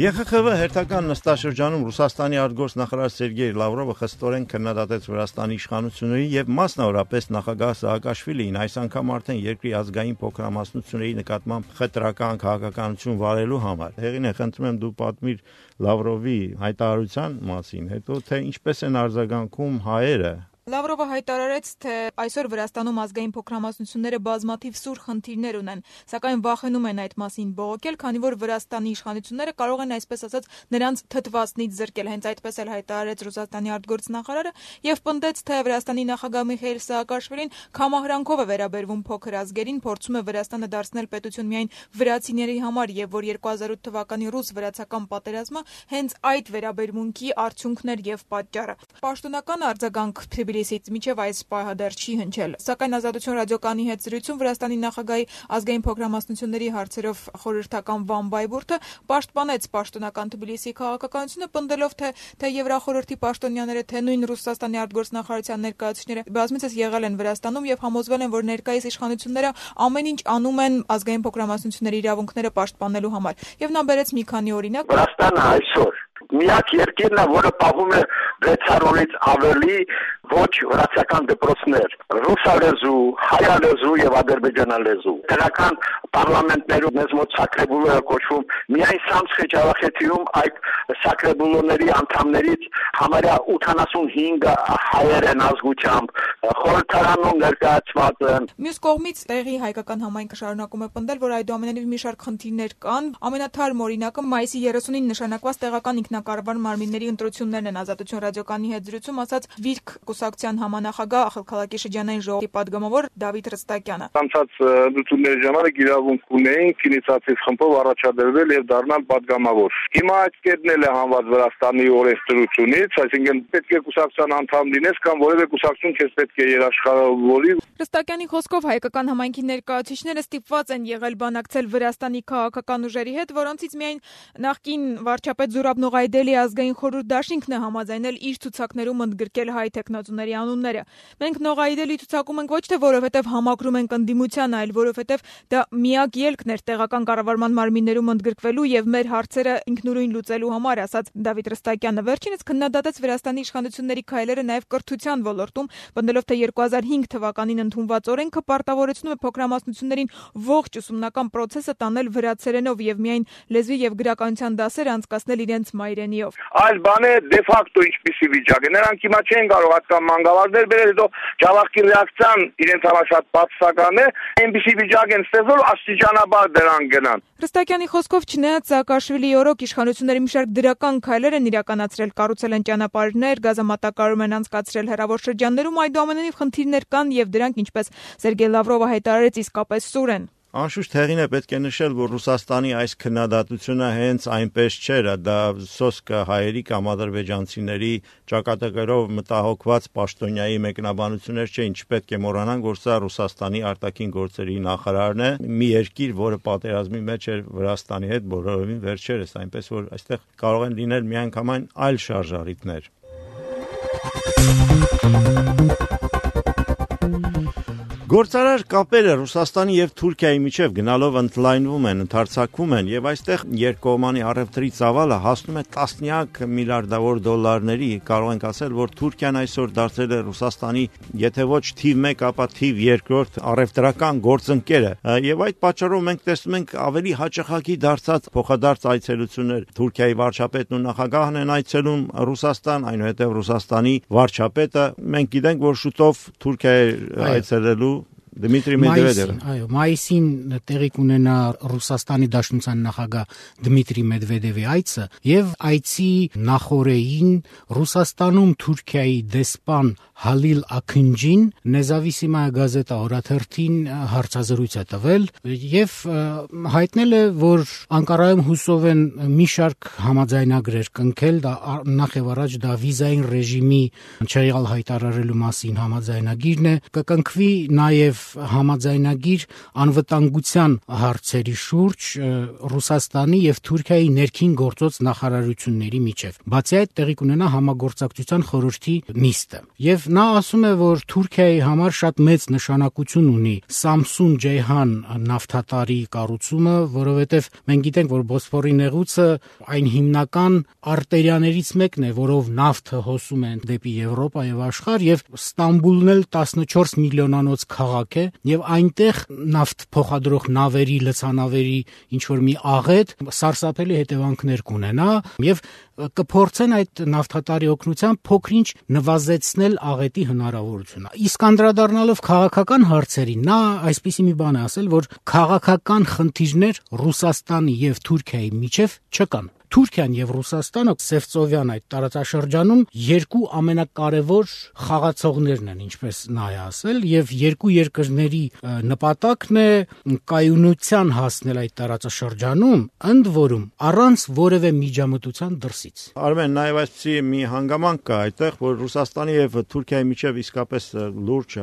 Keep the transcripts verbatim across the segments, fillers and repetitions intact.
Է Խ Խ V հերթական նստաշրջանում Ռուսաստանի արտգործնախարար Սերգեյ Լավրովը խստորեն քննադատեց Վրաստանի իշխանությունների եւ մասնավորապես նախագահ Սաակաշվիլիին այս անգամ արդեն երկրի ազգային փոքրամասնությունների նկատմամբ խտրական քաղաքականություն վարելու համար։ Հեղին է, խնդրում եմ դու պատմիր Լավրովի հայտարարության մասին, հետո թե ինչպես են արձագանքում հայերը։ Լավրովը հայտարարեց, թե այսօր Վրաստանում ազգային փոքրամասնությունները բազմաթիվ սուր խնդիրներ ունեն, սակայն վախենում են այդ մասին բողոքել, քանի որ Վրաստանի իշխանությունները կարող են այսպես ասած նրանց թթվածնից զրկել, հենց այդպես էլ հայտարարեց Ռուսաստանի արտգործնախարարը եւ պնդեց, թե Վրաստանի նախագահ Միխայիլ Սաակաշվիլին քամահրանքով է վերաբերվում փոքր ազգերին, փորձում է Վրաստանը դարձնել պետություն միայն վրացիների համար եւ որ երկու հազար ութ թվականի ռուս-վրացական պատերազմը հենց այդ վերաբերմունքի արդյունքն էր եւ պատճառը։ Պաշտոնական արձագանք Թբիլիսից մինչև այս պահը դեռ չի հնչել, սակայն Ազատություն ռադիոկայանի հետ զրույցում Վրաստանի նախագահի ազգային փոքրամասնությունների հարցերով խորհրդական Վան Բայբուրտը պաշտպանեց պաշտոնական Թբիլիսի քաղաքականությունը, պնդելով, թե թե Եվրախորհրդի պաշտոնյաները, թե նույն Ռուսաստանի արտգործնախարարության ներկայացուցիչները բազմիցս եղել են Վրաստանում եւ համոզվել են, որ ներկայիս իշխանությունները ամեն ինչ անում են ազգային փոքրամասնությունների իրավունքները պաշտպանելու համար։ Եվ նա բերեց մի քանի օրինակ։ Վրաստանը այսօր միակ երկիրն է, որը պահում է վեցարորից ավելի ոչ վրացական դպրոցներ, ռուսալեզու, հայալեզու եւ ադրբեջանալեզու։ Դրական պարլամենտներում մեզ մոտ Սակրեբուլոը կոչվում, միայն Սամսխե Ջավախեթիում այդ Սակրեբուլոների անդամներից համարյա ութանասունհինգը հայեր են ազգությամբ, խորհրդարանում ներկայացված են։ Մյուս կողմից տեղի հայկական համայնքը շարունակում է պնդել, որ այդուամենայնիվ մի շարք խնդիրներ կան։ Ամենաթարմ օրինակը մայիսի երեսունին նշանակված տեղական ինքնակառավար մարմինների ընտրություններն են։ Ազատություն ռադիոկայանի հետ զրույցում ասաց Վիրք կուսակցության համանախագահ Ախալքալակի շրջանային ժողովի պատգամավոր Դավիթ Ռստակյանը։ Անցած ընտրությունների ժամանակ իրավունք ունեին ինիցիատիվ խմբով առաջադրվել եւ դառնալ պատգամավոր։ Հիմա այդ կետն էլ է հանված Վրաստանի օրենսդրությունից, այսինքն պետք է կուսակցության անդամ լինես կամ որևէ կուսակցություն քեզ պետք է երաշխավորի։ Ռստակյանի խոսքով հայկական համայնքի ներկայացուցիչները ստիպված են եղել բանակցել Վրաստանի քաղաքական ուժերի հետ, որոնցից միայն նախկին վարչապետ Զուրաբ Նողայդելի ազգային խորհուրդ դաշինքն է համաձայնել իր ցուցակներում ընդգրկել հայ տեխնացուների անունները։ Մենք Նողայդելի ցուցակում ենք ոչ թե որովհետև համակրում ենք ընդդիմության, այլ որովհետև դա միակ ելքն էր տեղական կառավարման մարմիններում ընդգրկվելու եւ մեր հարցերը ինքնուրույն լուծելու համար, ասաց Դավիթ Ռստակյանը։ Վերջինս քննադատեց Վրաստանի իշխանությունների քայլերը նաեւ կրթության ոլորտում, պնդելով, թե երկու հազար հինգ թվականին ընդունված օրենքը պարտավորեցնում է փոքրամասնություններին ողջ ուսումնական process-ը տանել վրացերենով եւ միայն լեզվի եւ գրականության դասեր անցկացնել իրենց մայրենիով։ Այլ բան է դե ֆակտո ինչպիսի վիճակ է։ Նրանք հիմա չեն կարող հատկան մանգաղարներ բերել, հետո Ջավախքի ռեակցիան իրենց համար շատ բացասական է, այնպիսի վիճակ են ստեղծել, աստիճանաբար դրան գնան։ Ռստակյանի խոսքով չնայած Սաակաշվիլիի օրոք իշխանությունների մի շարք դրական քայլեր են իրականացրել, կառուցել են ճանապարհներ, գազամատակարարում են անցկացրել հեռավոր շրջաններում, այդուամենայնիվ խնդիրներ կան եւ դրանք, ինչպես Սերգեյ Լավրովը հայտարարեց, իսկապես սուր են։ Անշուշտ հեղին է պետք է նշել, որ Ռուսաստանի այս քննադատությունը հենց այնպես չէր, դա սոսկը հայերի կամ ադրբեջանցիների ճակատագրով մտահոգված պաշտոնյայի մեկնաբանություններ չէին, չպետք է մոռանանք, որ սա Ռուսաստանի արտաքին գործերի նախարարն է, մի երկիր, որը պատերազմի մեջ էր Վրաստանի հետ բոլորովին վերջերս, այնպես որ այստեղ կարող են լինել միանգամայն այլ շարժառիթներ։ Գործարար կապերը Ռուսաստանի եւ Թուրքիայի միջև գնալով ընդլայնվում են, ընդարձակվում են եւ այստեղ երկկողմանի առևտրի ծավալը հասնում է տասնյակ միլիարդավոր դոլարների։ Կարող ենք ասել, որ Թուրքիան այսօր դարձել է Ռուսաստանի, եթե ոչ թիվ մեկ, ապա թիվ երկրորդ առևտրական գործընկերը։ Եվ այդ պատճառով մենք տեսնում ենք ավելի հաճախակի դարձած փոխադարձ այցելություններ։ Թուրքիայի վարչապետն ու նախագահն են այցելում Ռուսաստան, այնուհետև Ռուսաստանի վարչապետը, մենք գիտենք, որ շուտով Թուրքիա է այցելելու Դմիտրի Մեդվեդևը։ Այո, մայիսին տեղի կունենա Ռուսաստանի Դաշնության նախագահ Դմիտրի Մեդվեդևի այցը եւ այցի նախօրեին Ռուսաստանում Թուրքիայի դեսպան Հալիլ Աքնջին Նեզավիսիմայա գազետա օրաթերթին հարցազրույց է տվել եւ հայտնել է, որ Անկարայում հուսով են մի շարք համաձայնագրեր կնքել, դա նախ եւ առաջ դա վիզային ռեժիմի չեղյալ հայտարարելու մասին համաձայնագիրն է, կկնքվի նաեւ համաձայնագիր անվտանգության հարցերի շուրջ Ռուսաստանի եւ Թուրքիայի ներքին գործոց նախարարությունների միջև։ Բացի այդ, տեղի կունենա համագործակցության խորհրդի նիստը։ Եվ նա ասում է, որ Թուրքիայի համար շատ մեծ նշանակություն ունի Samsun Ceyhan նավթատարի կառուցումը, որովհետեւ մենք գիտենք, որ Բոսֆորի նեղուցը այն հիմնական արտերիաներից մեկն է, որով նավթը հոսում է դեպի Եվրոպա եւ աշխարհ, եւ Ստամբուլն էլ տասնչորս միլիոնանոց քաղաք է, եւ այնտեղ նավթ փոխադրող նավերի, լցանավերի ինչ որ մի աղետ սարսափելի հետևանքներ կունենա եւ կփորձեն այդ նավթատարի օգնությամբ փոքրինչ նվազեցնել աղետի հնարավորությունը։ Իսկ անդրադառնալով քաղաքական հարցերին, նա այսպիսի մի բան է ասել, որ քաղաքական խնդիրներ Ռուսաստանի եւ Թուրքիայի միջև չկան։ Թուրքիան եւ Ռուսաստանը Սևծովյան այդ տարածաշրջանում երկու ամենակարևոր խաղացողներն են, ինչպես նա է ասել, եւ երկու երկրների նպատակն է կայունության հասնել այդ տարածաշրջանում, ընդ որում առանց որևէ միջամտության դրսից։ Արմեն, նաեւ այսպիսի մի հանգամանք կա այդտեղ, որ Ռուսաստանի եւ Թուրքիայի միջև իսկապես լուրջ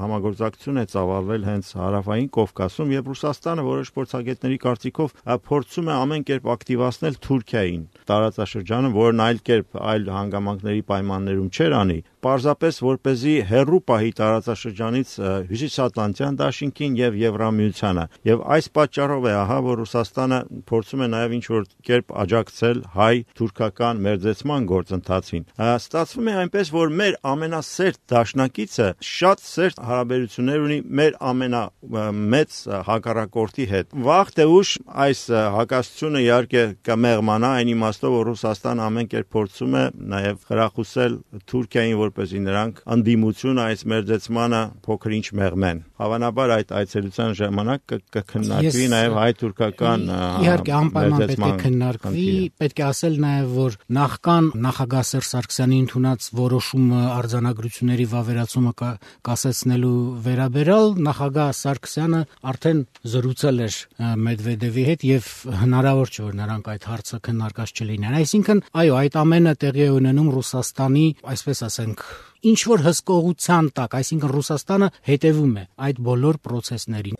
համագործակցություն է ծավալվել հենց հարավային Կովկասում, եւ Ռուսաստանը որոշ փորձագետների կարծիքով փորձում է ամեն կերպ ակտիվացնել Թուրքիային տարածաշրջանը, որն այլ կերպ այլ հանգամանքների պայմաններում չէր անի, պարզապես որպեսզի հեռու պահի տարածաշրջանից Հյուսիսատլանտյան դաշինքին եւ Եվրամիությանը։ Եվ այս պատճառով է ահա, որ Ռուսաստանը փորձում է նաեւ ինչ որ կերպ աջակցել հայ-թուրքական մերձեցման գործընթացին։ Ստացվում է այնպես, որ մեր ամենասերտ դաշնակիցը շատ սերտ հարաբերություններ ունի մեր ամենամեծ հակառակորդի հետ։ Վաղ թե ուշ այս հակասությունը իհարկե կմեղմանա, այն իմաստով, որ Ռուսաստանը ամեն կերպ փորձում է նաեւ խրախուսել Թուրքիային, որպեսզի նրանք անդիմություն այս մերձեցմանը փոքր-ինչ մեղմեն։ Հավանաբար այդ այցելության ժամանակ կքննարկվի նաեւ հայ-թուրքական իհարկե անպայման պետք է քննարկվի, պետք է ասել նաեւ, որ նախքան նախագահ Սերժ Սարգսյանի ընդունած որոշումը արձանագրությունների վավերացումը կասեցնելու վերաբերյալ նախագահ Սարգսյանը արդեն զրուցել էր Մեդվեդևի հետ եւ հնարավոր չէ, որ նրանք այդ հարցը քննարկած չլինեն։ Այսինքն, այո, այդ ամենը տեղի է ունենում Ռուսաստանի, այսպես ասենք, ինչ որ հսկողության տակ, այսինքն Ռուսաստանը հետևում է այդ բոլոր process-ներին։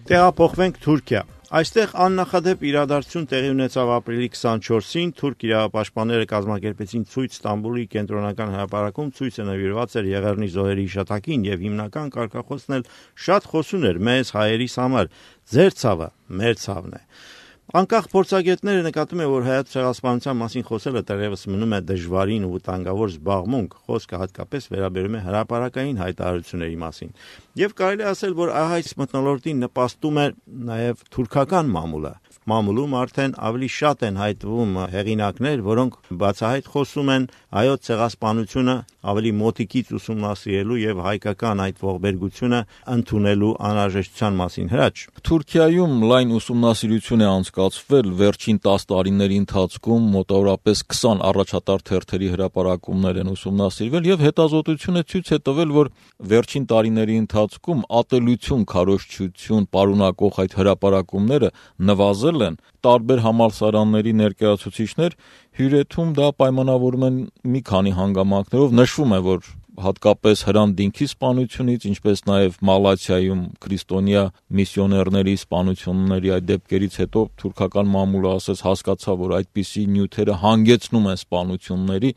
Տեղափոխվենք Թուրքիա։ Այստեղ աննախադեպ իրադարձություն տեղի ունեցավ ապրիլի քսանչորսին, թուրք իրավապաշտպանները կազմակերպեցին ցույց Ստամբուլի կենտրոնական հրապարակում, ցույցը նվիրված էր Եղեռնի զոհերի հիշատակին եւ հիմնական կարգախոսն էլ շատ խոսուն էր մեզ հայերիս համար. «Ձեր ցավը մեր ցավն է»։ Անկախ փորձագետները նկատում են, որ հայոց ցեղասպանության մասին խոսելը դեռևս մնում է դժվարին ու վտանգավոր զբաղմունք, խոսքը հատկապես վերաբերում է հրապարակային հայտարարությունների մասին։ Եվ կարելի ասել, որ այս մթնոլորտին նպաստում է նաև թուրքական մամուլը։ Մամուլում արդեն ավելի շատ են հայտնվում հեղինակներ, որոնք բացահայտ խոսում են հայոց ցեղասպանությունը ավելի մոտիկից ուսումնասիրելու եւ հայկական այդ ողբերգությունը ընդունելու անհրաժեշտության մասին։ Հրաչ, Թուրքիայում լայն ուսումնասիրություն է անցկացվել վերջին տասը տարիների ընթացքում, մոտավորապես քսան առաջատար թերթերի հրապարակումներ են ուսումնասիրվել եւ հետազոտությունը ցույց է տվել, որ վերջին տարիների ընթացքում ատելություն, քարոզչություն պարունակող այդ հրապարակումները նվազել են, տարբեր համալսարանների ներկայացուցիչներ հյուրեթում դա պայմանավորում են մի քանի հանգամանքներով, նշվում է, որ հատկապես Հրանտ-Դինքի սպանությունից, ինչպես նաև Մալաթիայում քրիստոնյա միսիոներների սպանությունների այդ դեպքերից հետո թուրքական մամուլը ասես հասկացավ, որ այդպիսի նյութերը հանգեցնում են սպանությունների,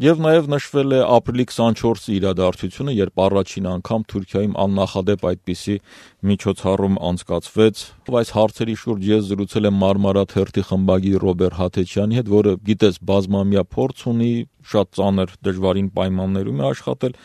եւ նաև նշվել է ապրիլի քսանչորսի իրադարձությունը, երբ առաջին անգամ Թուրքիայում աննախադեպ այդպիսի միջոցառում անցկացվեց։ Այս հարցերի շուրջ ես զրուցել եմ Մարմարա թերթի խմբագիր Ռոբերտ Հաթեչյանի հետ, որը գիտես բազմամյա փորձ ունի, շատ ծանր դժվարին պայմաններում է աշխատել։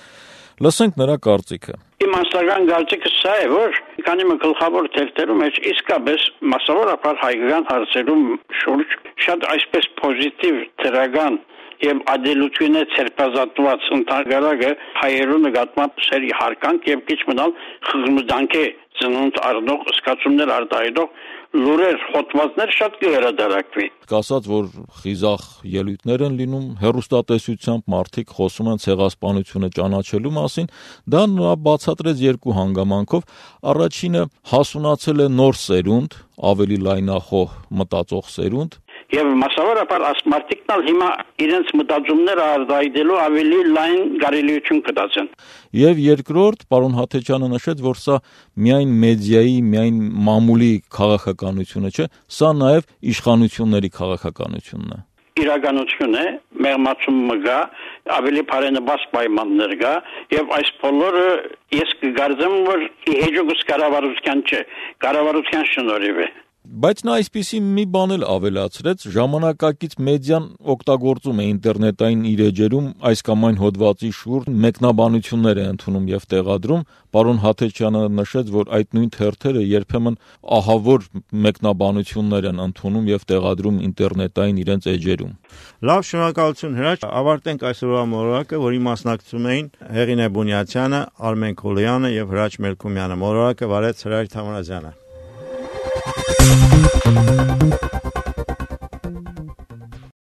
Լսենք նրա կարծիքը։ Իմ անձնական կարծիքը սա է, որ քանի մի գլխավոր թերթերում է իսկապես մասսավորապես հայկական հարցերում շուրջ շատ այսպես պոզիտիվ դրական եւ ադելությունը ցերպազատված ընդհանրակը հայերու նկատմամբ սերի հարկանք եւ քիչ մնալ խղմուդանք է ծնունդ արդող սկացումներ արտահայտող լուրեր, հոդվածներ շատ կհերադարակվի։ Կասած, որ խիզախ ելույթներ են լինում, հեռուստատեսությամբ մարդիկ խոսում են ցեղասպանությունը ճանաչելու մասին, դա նա բացատրեց երկու հանգամանքով։ Առաջինը հասունացել է նոր սերունդ, ավելի լայնախոհ մտածող սերունդ, Եվ մասնավորապես ասմարտիկնալ հիմա իրենց մտածումները արտահայտելու ավելի լայն կարելիություն կդածեն։ Եվ երկրորդ, պարոն Հաթեչյանը նշեց, որ սա միայն մեդիայի, միայն մամուլի քաղաքականությունը չէ, սա նաև իշխանությունների քաղաքականությունն է։ Իրականություն է, մեղմացումը կա, ավելի բարենպաստ պայմաններ կա, եւ այս բոլորը ես կգարձեմ, որ հեջուկս կառավարության չէ, կառավարության շնորհիվ է։ Բայց նա այսպիսի մի բան էլ ավելացրեց, ժամանակակից մեդիան օգտագործում է ինտերնետային իր էջերում այս կամ այն հոդվածի շուրջ մեկնաբանություններ է ընդունում եւ տեղադրում։ Պարոն Հաթեչյանը նշեց, որ այդ նույն թերթերը երբեմն ահավոր մեկնաբանություններ են ընդունում եւ տեղադրում ինտերնետային իրենց էջերում։ Լավ, շնորհակալություն Հրաչ, ավարտենք այսօրվա մոլորակը, որի մասնակցում էին Հեղինե Բունյացյանը, Արմեն Քոլոյանը եւ Հրաչ Մելքումյանը։ Մոլորակը վարեց Հրաչ Թամարազյանը։ Thank you.